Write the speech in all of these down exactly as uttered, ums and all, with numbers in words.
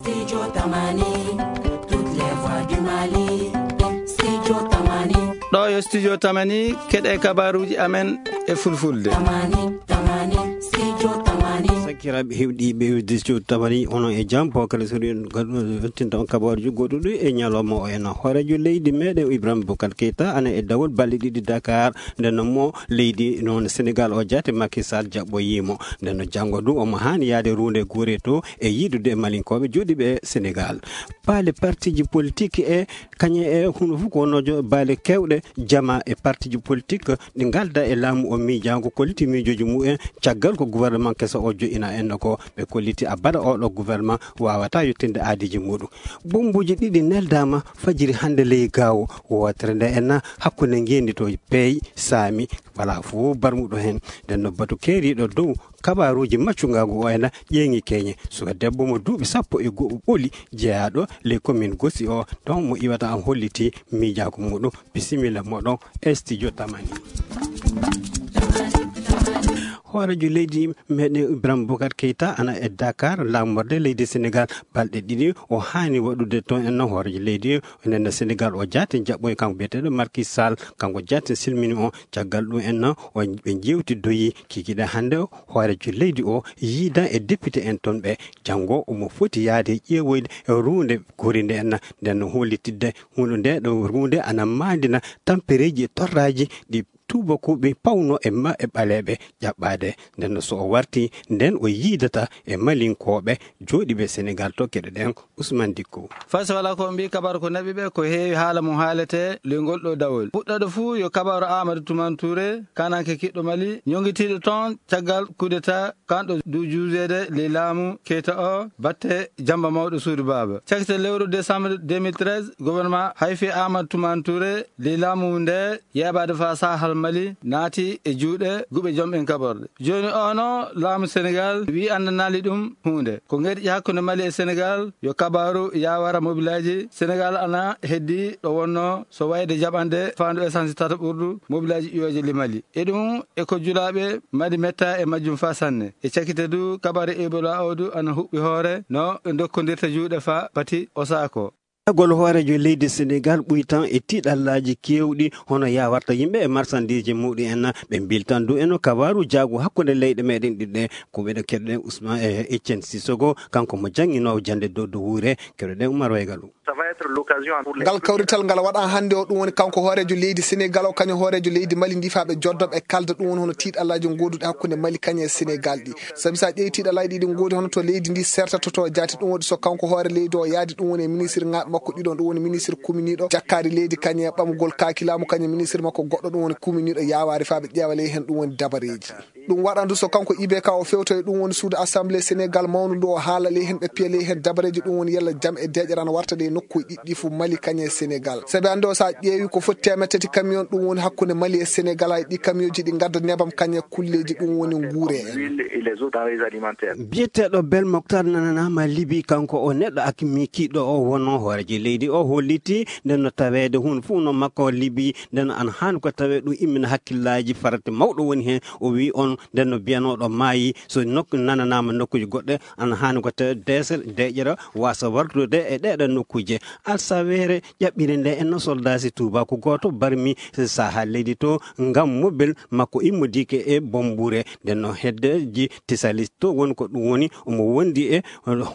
Studio Tamani, toutes les voix du Mali. Studio Tamani. Ɗo yo Studio Tamani, keɗe kabaruji amen e fulfulde. Tamani, Tamani, Studio Tamani. Sakiraaɓe heɗiiɓe Studio Tamani, onon e jam, bo kala so ɗum yettinta on kabaruji goɗɗuɗi e ñalawma o en. Hooreejo leydi meɗen Ibrahima Boubacar Keita ana e dawol balɗe ɗiɗi Dakar, nden no mo leydi noon Senegal o jaate Macky Sall jaɓɓoyimo. Nden no janngo ɗum omo haani yaade runde guure to e yiidude e Malinkooɓe jooɗiiɓe e Senegal. Paale partiji politique e kañe e hunu fof ko wonno jo-, baale kewɗe jama e partiji politique ɗi ngalda e laamu o miijango kolliti miijoji mumen caggal ko gouvernement keso o joƴina en ko ɓe kolliti abada oɗo gouvernement wawata yettinde aadiji muɗum. Bombuji ɗiɗi neldama fajiri hannde ley gawo wotere nde enna hakkunde ngendi to peey saami wala fof barmuɗo hen. Nden no batu keeriɗo dow kabaruji maccungagu o ena ƴeeŋi keñe. Suka debbo mo duuɓi sappo e go'o ɓoli jeyaɗo ley commune Gosi o, ɗon mo iwata an holliti miijaku muɗum. Bisimilla moɗon e studio Tamani. Hoorejo leydi meɗen Ibrahima Boubacar Keita ana e Dakar, laamorde leydi Senegal, balɗe ɗiɗi o haani waɗude toon en no hoorejo leydi o nena Senegal o jaati jaɓɓoy kanko biyeteɗo Macky Sall, kanko jaati silmini o. Caggal ɗum en no o ɓe jewtidoyi kikiɗe hannde hoorejo leydi o yiida e député en toon ɓe. Janngo omo foti yaade ƴeewoyde e ruunde gori nde en, nden no hollitidde huunde nde ɗo ruunde ana maandina tampereeji e torraaji ɗi tuubakuɓe pawno e ma-, e ɓaleeɓe jaɓɓaade. Nden no so o warti, nden o yiidata e Malinkooɓe jooɗiiɓe Senegal to keɗe ɗen Ousmane Dicko. Fay so wala ko mbi kabar ko naɓi ɓe ko heewi haala mum haalete ley ngol ɗo dawol. Puɗɗoɗo fuu yo kabaru Amadou Toumane Touré, kananke kiɗɗo Mali, ñogitiiɗo toon caggal coup d'état kanɗo du juujeede ley laamu Keita o batte jamba mawɗo suudu baaba. Cakite lewru décembre deux mille treize, gouvernement hayfi Amadou Toumane Touré ley laamu nde yeeɓaade fa sahal Mali naati e juuɗe guɓe jom en kaɓorɗe. Jooni o no laamu Senegal wi anndanaali ɗum huunde. Ko ngerƴi hakkunde Mali e Senegal yo kabaru yawara mobilaaji. Senegal ana heddi ɗo wonno so wayde jaɓande faandu essence tata ɓurdu mobilaaji ƴiwooje li Mali. E ɗum e ko julaaɓe Mali metta e majjum fa sanne. E cakite du kabaru Ebola o du ana huɓɓi hoore no ɓe dokkondirta juuɗe fa pati Osako. Gol hooreejo leydi Senegal ɓuy tan e tiiɗallaaji keewɗi hono yawarta yimɓe e marsandiije muɗum en. Ɓe mbiltan du eno kabaru jaagu hakkunde leyɗe meɗen ɗiɗɗe. Ko ɓeɗo keɗoɗen Ousmane e Etienne Sissoko, kanko mo jannginoowo jannde dow dow wuure. Keɗoɗen Oumar Waygalu. Ça va être l'occasion pour les Ngal kawrital ngal waɗa hannde o, ɗum woni kanko hooreejo leydi Senegal o, kañum hooreejo leydi Mali ndi, faa ɓe joddo ɓe kalda ɗum woni hono tiiɗallaaji ngoduɗi hakkunde Mali kañum e Senegal ɗi. Sabi so a ƴeewi tiiɗallaaji ɗi ngoodi hono to leydi ndi sertato to jaati, ɗum woni so kanko hoore leydi o yaadi, ɗum woni e ministre ŋaaɓe makko ɗiɗo, ɗum woni ministre kuminiiɗo jakkaari leydi kañum e ɓamgol kaaki laamu, kañum e ministre makko goɗɗo, ɗum woni kuminiiɗo yawaari faa ɓe ƴeewa ley heen ɗum woni dabareeji. Ɗum waɗa ndu so kanko I B K o fewtoye, ɗum woni suudu assemblée Senegal mawndu ndu, o haala ley heen, ɓe piya ley heen dabareeji, ɗum woni yalla jam e deeƴere ana warta ɗe nokkuuji ɗiɗɗi fof Mali kañum e Senegal. Sabi hannde o so a ƴeewi ko foti teemeɗɗe tati camion ɗum woni hakkunde Mali e Senegal, hay ɗi camion ji ɗi ngadda nebam kañum e kulleeji ɗum woni nguure en. L'huile et les autres denrées alimentaires. Biyeteeɗo Bel Moktar nananaama Libi, kanko o neɗɗo akmi kiiɗo o wonno hooreejo leydi o holliti nden no taweede huunde fof no makko Libi, nden no an haani ko tawee ɗum immina hakkillaaji farata mawɗo woni heen. O wi on nden no biyanooɗo maayi, so nokku nananaama nokkuuji goɗɗe, an haani ko tawee deesere, deeƴere wasa wartude e ɗeeɗo nokkuuje. Alsaweere ƴaɓɓire nde en no soldaasi tuubaaku gooto barmi saha leydi to ngam mobel makko immodiike e Bombure. Nden no heddeji Tisalis to woni ko ɗum woni omo wondi e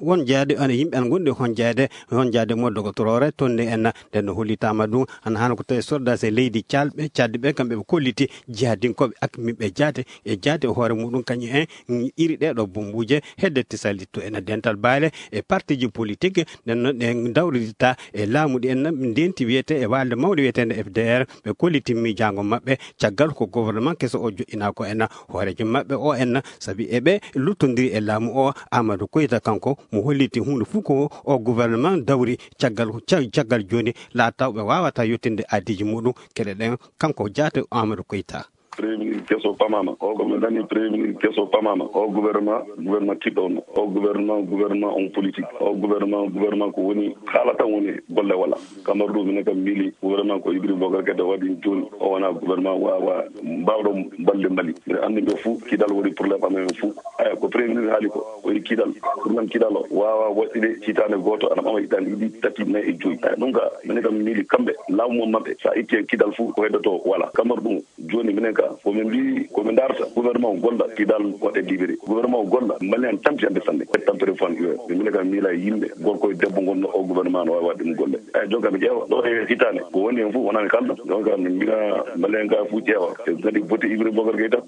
won jaade ana yimɓe ana gondi e hon jaade, hon jaade mo dogotoroore to nde en. Nden no hollitaama ɗum ana hano ko tawi soldaasi leydi calɓe, caddi ɓe kamɓe ɓe kolliti jihadinkooɓe akmiɓe jaate e jaate e hoore muɗum kañum en iri ɗe ɗo bombuuje hedde Tisalis to ena dental baale e partiji politique. Nden no ɗe dawridita e laamu ɗi en ndenti wiyete e walde mawde wiyetende F D R, ɓe kolliti miijaango maɓɓe caggal ko gouvernement keso o joɗɗinaa ko en hooreejo maɓɓe o en, sabi eɓe luttondiri e laamu o. Amadou Koyta kanko mo holliti huunde fof ko o gouvernement dawri caggal, ca-, caggal jooni laataw ɓe waawata yettinde aadiji muɗum. Keɗoɗen kanko jaate Amadou Koyta. Premier ministre keso pamama. O ko min dani premier ministre keso pamama. O gouvernement, gouvernement kiɗɗo on. O gouvernement, gouvernement on politique. O gouvernement, gouvernement ko woni haala tan woni golle wala. Kamar ɗum minen kam miili gouvernement ko Ibrahima Boubacar Keita waɗi jooni. O wona gouvernement wawa mbawɗo balde Mali. Mbiɗa anndi ɓe fuu kidal woni problème amen fuu. Aya ko premier ministre haali ko. Ko e kidal. Problème kidal o wawa waɗɗude hitaande gooto ana ɓama hitaande ɗiɗi, tati, nayi e joyi. Aya ɗum ka minen kam miili kamɓe laamu mum maɓɓe. Sa itti e kidal fuu ko heddoto wala. Kamar ɗum Jooni minen ka, ko min mbii, ko min darta, gouvernement o golla, kidal waɗe libéré. Gouvernement o golla, Mali en tampi hannde sanne. E tampere fan iwe. Minen ka miila e yimɓe, gorko e debbo ngonno o gouvernement no waawi waɗde ɗum golle. Eyi, jonka mi ƴeewa, ɗo e hitaande, ko woni heen fof wonaa mi kalda. Jonka min mbina Mali en ka fof ƴeewa. E kadi bote Ibrahima Boubacar Keita,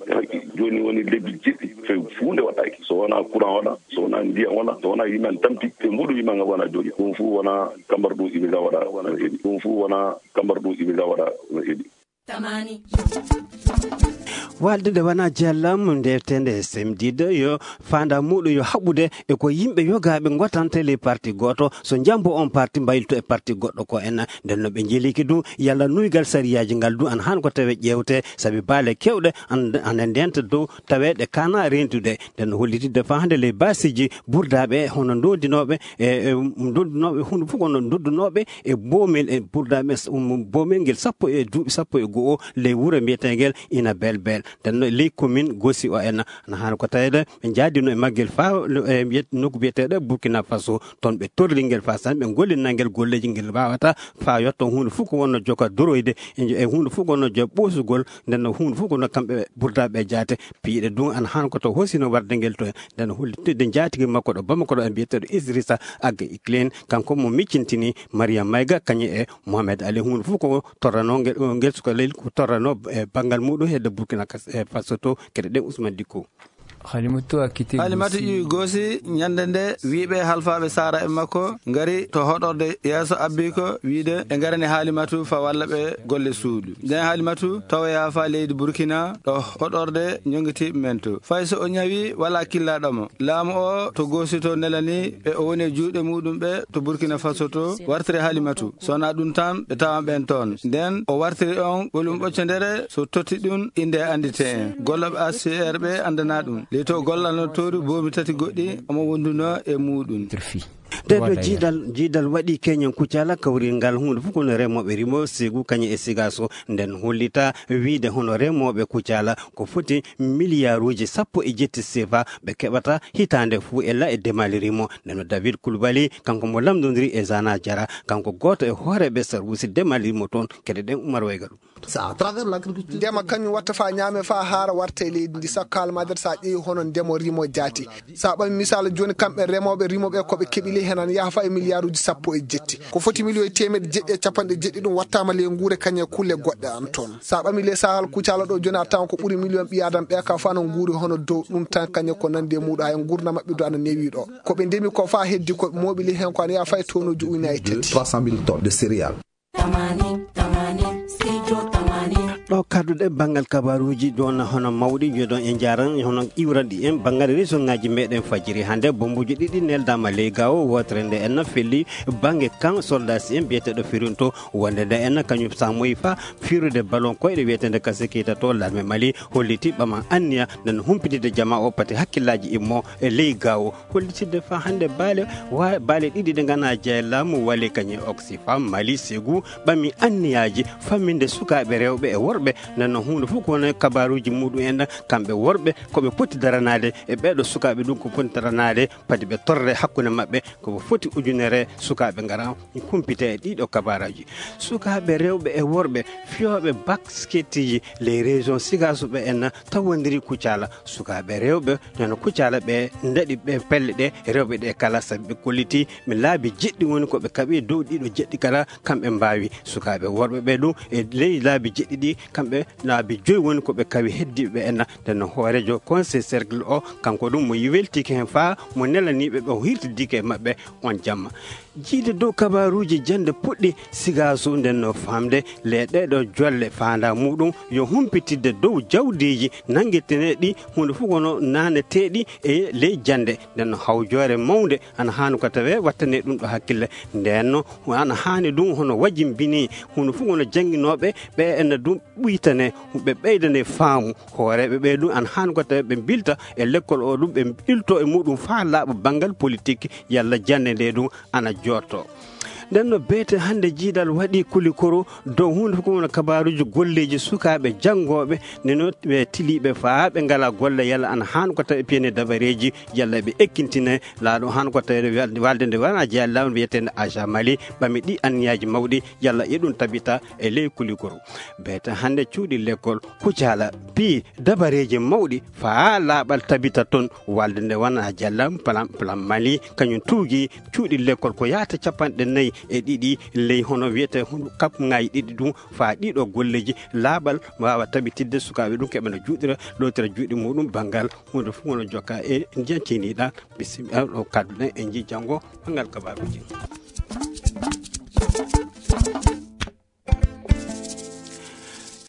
jooni woni lebbi jeɗɗi, fe huunde waɗaaki. So wonaa courant wala, so wonaa ndiyam wala, so wonaa yimɓe en tampi, ɓe mbuɗu yimɓe nga wona jooɗi. Ɗum fof wonaa kambar ɗum iɓe nga waɗa, wona heɗi. Ɗum fof wonaa kambar ɗum iɓe nga waɗa, wona heɗi. Tamani. Walde nde wona jeellam ndewtende semdiɗo yo faanda muɗum yo haɓɓude e ko yimɓe yogaaɓe ngotanta ley parti gooto, so njambo on parti mbayluto e parti goɗɗo ko en. Nden no ɓe njeliki du yalla nuygal sariyaaji ngal du an han ko tawe ƴeewte, sabi baale kewɗe an- ana ndenta dow taweeɗe kana rentude. Nden no hollitidde faa hannde ley baasiiji burdaaɓe hono ndondinooɓe e e ndondinooɓe hunde fof kono ndondinooɓe e boomel e burdaaɓe s- um, boomel ngel sappo e duuɓi sappo e go'o ley wuro mbiyeteengel ina belbel. Nden no ley commune gosi o en ana haana ko taweede ɓe njaadino e maggel faa e mbiyet- nokku mbiyeteeɗo burkina faso. Toon ɓe torri ngel faa san ɓe ngollinna ngel golleeji ngel mbaawata faa yotto huunde fof ko wonno joka doroyde e e huunde fof ko wonno joka ɓoosugol. Nden no huunde fof ko no kamɓe burdaaɓe jaate piiɗe dun ana han ko to hosino warde ngel to. Nden no hollitde njaatigi makko ɗo bamako ɗo e mbiyeteeɗo isrisa agga iklen kanko mo miccintini mariam mayga kañum e mohamed ali huunde fof ko torrano ngel ngel suka leydi ko torrano e banngal muɗum hedde burkina Kas- e faso to. Kede ɗen usman dikko. Halimatu a quitté Halimatu Gossy. Iwi Gossy ñande nde wiiɓe halfaaɓe saara e makko ngari to hoɗorde yeeso abbi ko wiide ɓe ngarani Halimatu fa walla ɓe golle suudu. Nden Halimatu tawoya fa leydi Burkina ɗo hoɗorde ñongitiiɓe men to. Fay so o ñawi wala killaaɗo mo. Laamu o to Gossy to nelani ɓe o woni e juuɗe muɗum ɓe to Burkina Faso to wartiri Halimatu. So wonaa ɗum tan ɓe tawan ɓen toon. Nden o wartiri on ɓolum ɓoccondere so totti ɗum innde anndite en. Gollooɓe H C R ɓe anndana ɗum. Ley to gollano toori boomi tati goɗɗi omo wonduno e muɗum. Nde ɗo jiidal jiidal waɗi keñen kuccala kawri ngal huunde fof kono remooɓe rimo segu kañum e sigaso nden hollita wiide hono remooɓe kuccala ko foti miliyaaruuji sappo e jetti sefa ɓe keɓata hitaande fof e la e demal rimo. Ndeno david kulbali kanko mo lamdondiri e zana jara kanko gooto e hooreeɓe sarwusi demal rimo toon kede ɗen umar wayga ɗum. Ndema kañum watta fa ñaame fa haara warta e leydi ndi sakko haala mader sa ƴeewi hono ndemo rimo jaati. Sa ɓami misal joni kamɓe remoɓe rimoɓe koɓe keɓili henan yaha fa e milliarduji sappo e jetti ko foti million e temeɗe jeɗɗi e capanɗe jeɗɗi ɗum wattama ley nguure kañe kulle goɗɗe an toon. Sa ɓami ley sahal kucala ɗo joni a tawan ko ɓuuri million ɓiyadam ɓe ka fa no nguuri hono dow ɗum tan kañe ko nandi e muɗum hay gurdam maɓɓe do ana newi ɗo. Koɓe ndemi ko fa heddi koɓe moɓili hen ko ana yaha fa e tonuji uyna e tati. Trois cent mille tonnes de céréales. Ɗo kadduɗe banngal kabaruuji ɗon hono mawɗi joɗon e njaran hono iwranɗi en banngal région ngaji meɗen fajiri hannde bombuji ɗiɗi neldama ley gawo wotere nde en felli bannge kan soldasi en biyeteɗo firinto wonde nde en kañum samoyi fa firude ballon koyɗe wiyetede kasikita to larme mali holliti ɓama anniya nden humpitide jama o pati hakkillaji immo e ley gawo hollitidde fa hannde baale wa baale ɗiɗi ɗe ngana jeya laamu wali kañum oxyfam mali segu ɓami anniyaaji famminde sukaaɓe rewɓe e worɓe. Nden no huunde fof ko woni kabaaruuji muɗum en kamɓe worɓe ko ɓe poti daranaade e ɓeeɗo sukaaɓe ɗum ko poti daranaade padi ɓe torre hakkunde maɓɓe ko ɓe foti ujunere sukaaɓe ngara kumpite e ɗiɗo kabaaraji sukaaɓe rewɓe e worɓe fiyooɓe basketiji les régions sigasuɓe en tawondiri kucala sukaaɓe rewɓe nano kucala ɓe ndaɗi ɓe pelle ɗe rewɓe ɗe kala sabi ɓe kolliti mi laabi jeɗɗi woni ko ɓe kaɓi dow ɗiɗo jeɗɗi kala kamɓe mbawi sukaaɓe worɓe ɓe ɗum e ley laabi jeɗɗi ɗi kamɓe laabi joyi woni ko ɓe kawi heddiɓe ɓe enna ndenno hoorejo conseil cercle o kanko ɗum mo weltiki hen faa mo nelaniɓe ɓe o hirtidiki e maɓɓe on jamma jiide dow kabaruuji jannde puɗɗi sigaasu nden no faamde le ɗeɗo jolle faanda muɗum yo humpitidde dow jawdiiji nanngeteneɗi huunde fof kono naneteɗi e ley jannde nden no hawjoore mawnde ana haani ko tawe wattane ɗum ɗo hakkille nden no ana haani ɗum hono wajimbini huunde fof kono jannginooɓe ɓe ene ɗum ɓuytane, ɓe ɓeydane faamu. Hooreeɓe ɓee ɗum ana haani ko tawi ɓe mbilta e lekkol o ɗum, ɓe ilto e muɗum faa laaɓa banngal politik, yalla jannde nde ɗum ana jooɗto. Nden no beete hannde jiidal waɗi kulikoro dow huunde fof ko wona kabaaruuji golleeji sukaaɓe janngooɓe, neno ɓe tiliiɓe faa ɓe ngalaa golle, yalla ana haani ko tawi piyane dabareeji, yalla ɓe ekkintinee laaɗo haani ko tawi walde, walde nde wona jeyaa laamu wiyeteende Aja Mali, ɓami ɗi anniyaaji mawɗi, yalla e ɗum tabita e ley kulikoro. Beete hannde cuuɗi lekkol Kucala pii dabareeji mawɗi faa laaɓal tabita toon, walde nde wona jeyaa laamu plan, plan Mali, kañum tuugi cuuɗi lekkol ko yahata capanɗe nayi e ɗiɗi ley hono wiyetee hono kap ŋaaji ɗiɗi ɗum, faa ɗiɗo golleeji laaɓal waawa tabitidde sukaaɓe ɗum keɓa no juuɗira, lootira juuɗe muɗum banngal huunde fof wona jokka e ndiyan ceniɗa. Bisimilla, ɗo kaddu ɗen en njii janngo banngal kabaaruuji.